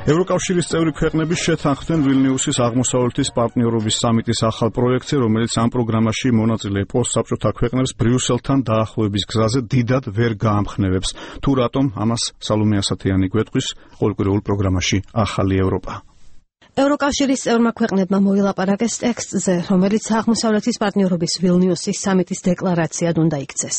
ევროკავშირის წევრი ქვეყნები შეთანხმდნენ ვილნიუსის აღმოსავლეთის პარტნიორობის სამიტის ახალ პროექტზე, რომელიც ამ პროგრამაში მონაწილე პოსტსაბჭოთა ქვეყნებს ბრიუსელთან დაახლოების გზაზე დიდად ვერ გაამხნევებს. თუ რატომ, ამას სალომე ასათიანი გვეტყვის ყოველკვირეულ პროგრამაში ახალი ევროპა. ევროკავშირის წევრმა ქვეყნებმა მოილაპარაკეს ტექსტზე, რომელიც აღმოსავლეთის პარტნიორობის ვილნიუსის სამიტის დეკლარაციად უნდა იქცეს.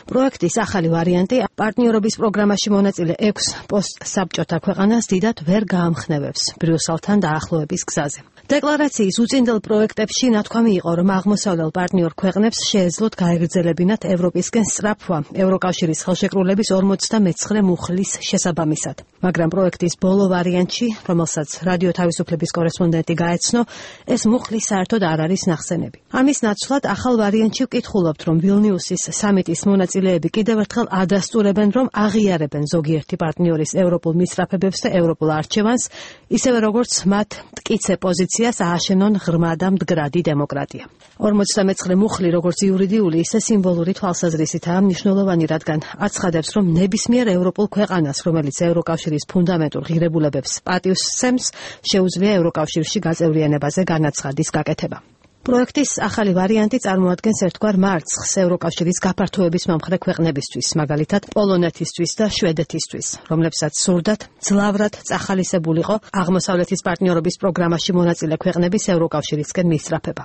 პროექტის ახალი ვარიანტი პარტნიორობის პროგრამაში მონაწილე 6 პოსტსაბჭოთა ქვეყანას დიდად ვერ გაამხნევებს ბრიუსელთან დაახლოების გზაზე. დეკლარაციის უწინდელ პროექტებში ნათქვამი იყო, რომ აღმოსავლელ პარტნიორ ქვეყნებს შეეძლოთ გაეგრძელებინათ ევროპისკენ სწრაფვა ევროკავშირის ხელშეკრულების 49 მუხლის შესაბამისად. მაგრამ პროექტის ბოლო ვარიანტში, რომელსაც რადიო თავისუფლების კორესპონდენტი გაეცნო, ეს მუხლი საერთოდ არ არის ნახსენები. ამის ნაცვლად ახალ ვარიანტში ვკითხულობთ, რომ ვილნიუსის სამიტის მონაწილეები კიდევ ერთხელ ადასტურებენ, რომ აღიარებენ ზოგიერთი პარტნიორის ევროპულ მისწრაფებებს და ევროპულ არჩევანს, ისევე როგორც მათ მტკიცე პოზიციას ააშენონ ღრმა და მდგრადი დემოკრატია. 49 მუხლი, როგორც იურიდიული, ისე სიმბოლური თვალსაზრისითაა მნიშვნელოვანი, რადგან აცხადებს, რომ ნებისმიერ ევროპულ ქვეყანას, რომელიც ევროკავშირის ფუნდამენტურ ღირებულებებს პატივს სცემს, შეუძლია ევროკავშირში გაწევრიანებაზე განაცხადის გაკეთება. პროექტის ახალი ვარიანტი წარმოადგენს ერთგვარ მარცხს ევროკავშირის გაფართოების მომხრე ქვეყნებისთვის, მაგალითად პოლონეთისთვის და შვედეთისთვის, რომლებსაც სურდათ ძლავრად წახალისებულიყო აღმოსავლეთის პარტნიორობის პროგრამაში მონაწილე ქვეყნების ევროკავშირისკენ მისწრაფება.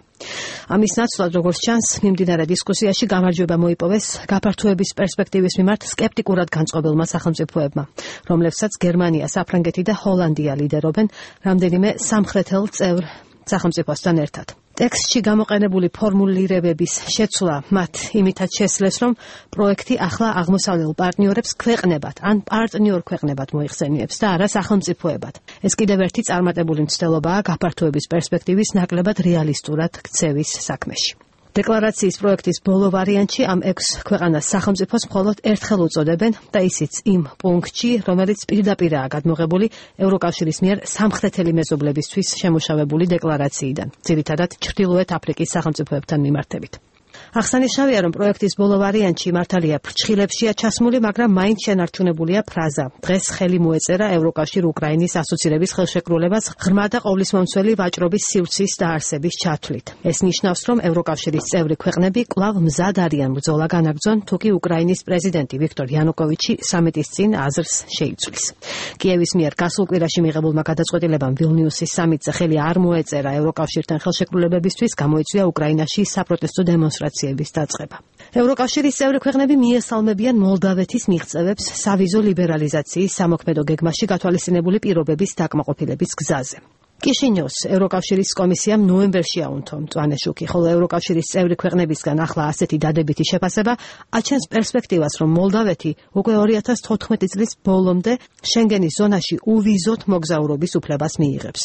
ამის ნაცვლად, როგორც ჩანს, მიმდინარე დისკუსიაში გამარჯვება მოიპოვეს გაფართოების პერსპექტივის მიმართ სკეპტიკურად განწყობილმა სახელმწიფოებმა, რომლებსაც გერმანია, საფრანგეთი და ჰოლანდია ლიდერობენ რამდენიმე სამხრეთელ წევრ სახელმწიფოსთან ერთად. ტექსტში გამოყენებული ფორმულირებების შეცვლა მათ იმითაც შესძლეს, რომ პროექტი ახლა აღმოსავლელ პარტნიორებს ქვეყნებად ან პარტნიორ ქვეყნებად მოიხსენიებს და არა სახელმწიფოებად. ეს კიდევ ერთი წარმატებული მცდელობაა გაფართოების პერსპექტივის ნაკლებად რეალისტურად ქცევის საქმეში. დეკლარაციის პროექტის ბოლო ვარიანტში ამ 6 ქვეყანას სახელმწიფოს მხოლოდ ერთხელ უწოდებენ და ისიც იმ პუნქტში, რომელიც პირდაპირაა გადმოღებული ევროკავშირის მიერ სამხრეთელი მეზობლებისთვის შემუშავებული დეკლარაციიდან, ძირითადად ჩრდილოეთ აფრიკის სახელმწიფოებთან მიმართებით. აღსანიშნავია, რომ პროექტის ბოლო ვარიანტში მართალია ფრჩხილებშია ჩასმული, მაგრამ მაინც შენარჩუნებულია ფრაზა. დღეს ხელი მოეწერა ევროკავშირ უკრაინის ასოცირების ხელშეკრულებას ღრმა და ყოვლისმომცველი ვაჭრობის სივრცის დაარსების ჩათვლით. ეს ნიშნავს, რომ ევროკავშირის წევრი ქვეყნები კვლავ მზად არიან ბრძოლა განაგრძონ, თუკი უკრაინის პრეზიდენტი ვიქტორ იანუკოვიჩი სამიტის წინ აზრს შეიცვლის. კიევის მიერ გასულ კვირაში მიღებულმა გადაწყვეტილებამ ვილნიუსის სამიტზე ხელი არ მოეწერა ევროკავშირთან ხელშეკრულებებისთვის, გამოიწვია უკრაინაში საპროტესტო დემონსტრაციები დაწყება. ევროკავშირის წევრი ქვეყნები მიესალმებიან მოლდავეთის მიღწევებს სავიზო ლიბერალიზაციის სამოქმედო გეგმაში გათვალისწინებული პირობების დაკმაყოფილების გზაზე. კიშინიოს ევროკავშირის კომისიამ ნოემბერში აუნთო მწვანე შუქი, ხოლო ევროკავშირის წევრი ქვეყნებისგან ახლა ასეთი დადებითი შეფასება აჩენს პერსპექტივას, რომ მოლდავეთი უკვე 2014 წლის ბოლომდე შენგენის ზონაში უვიზოთ მოგზაურობის უფლებას მიიღებს.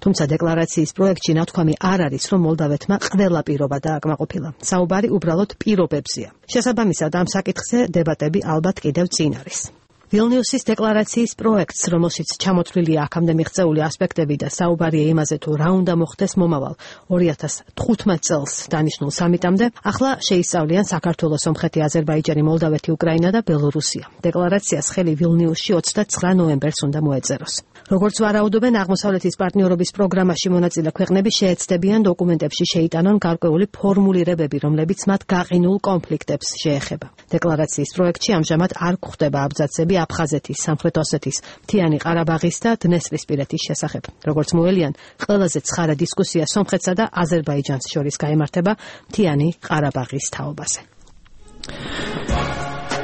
თუმცა დეკლარაციის პროექტში ნათქვამი არ არის, რომ მოლდავეთმა ყველა პირობა დააკმაყოფილა. საუბარი უბრალოდ პირობებზეა. შესაბამისად, ამ საკითხზე დებატები ალბათ კიდევ წინ არის. ვილნიუსის დეკლარაციის პროექტს, რომელშიც ჩამოთვლილია აქამდე მიღწეული ასპექტები და საუბარია იმაზე, თუ რა უნდა მოხდეს მომავალ 2015 წელს დანიშნულ სამიტამდე, ახლა შეისწავლიან საქართველოს, სომხეთი, აზერბაიჯანი, მოლდავეთი, უკრაინა და ბელორუსია. დეკლარაციას ხელი ვილნიუსში 29 ნოემბერს უნდა მოეწეროს. როგორც ვარაუდობენ, აღმოსავლეთის პარტნიორობის პროგრამაში მონაწილე ქვეყნები შეეცდებიან დოკუმენტებში შეიტანონ გარკვეული ფორმულირებები, რომლებიც მათ გაყინულ კონფლიქტებს შეეხება. დეკლარაციის პროექტში ამჟამად არ გვხვდება აბზაცები აფხაზეთის, სამხრეთ ოსეთის, მთიანი ყარაბაღის და დნესტრისპირეთის შესახებ. როგორც მოელიან, ყველაზე ცხარა დისკუსია სომხეთსა და აზერბაიჯანს შორის გაემართება მთიანი ყარაბაღის თაობაზე.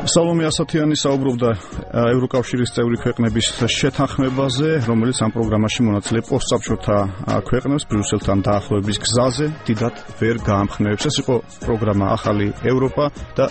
სალომე ასათიანი საუბრობდა ევროკავშირის წევრი ქვეყნების შეთანხმებაზე, რომელიც ამ პროგრამაში მონაწილე პოსტსაბჭოთა ქვეყნებს ბრიუსელთან დაახლოების გზაზე დიდად ვერ გაამხნევებს. ეს იყო პროგრამა ახალი ევროპა და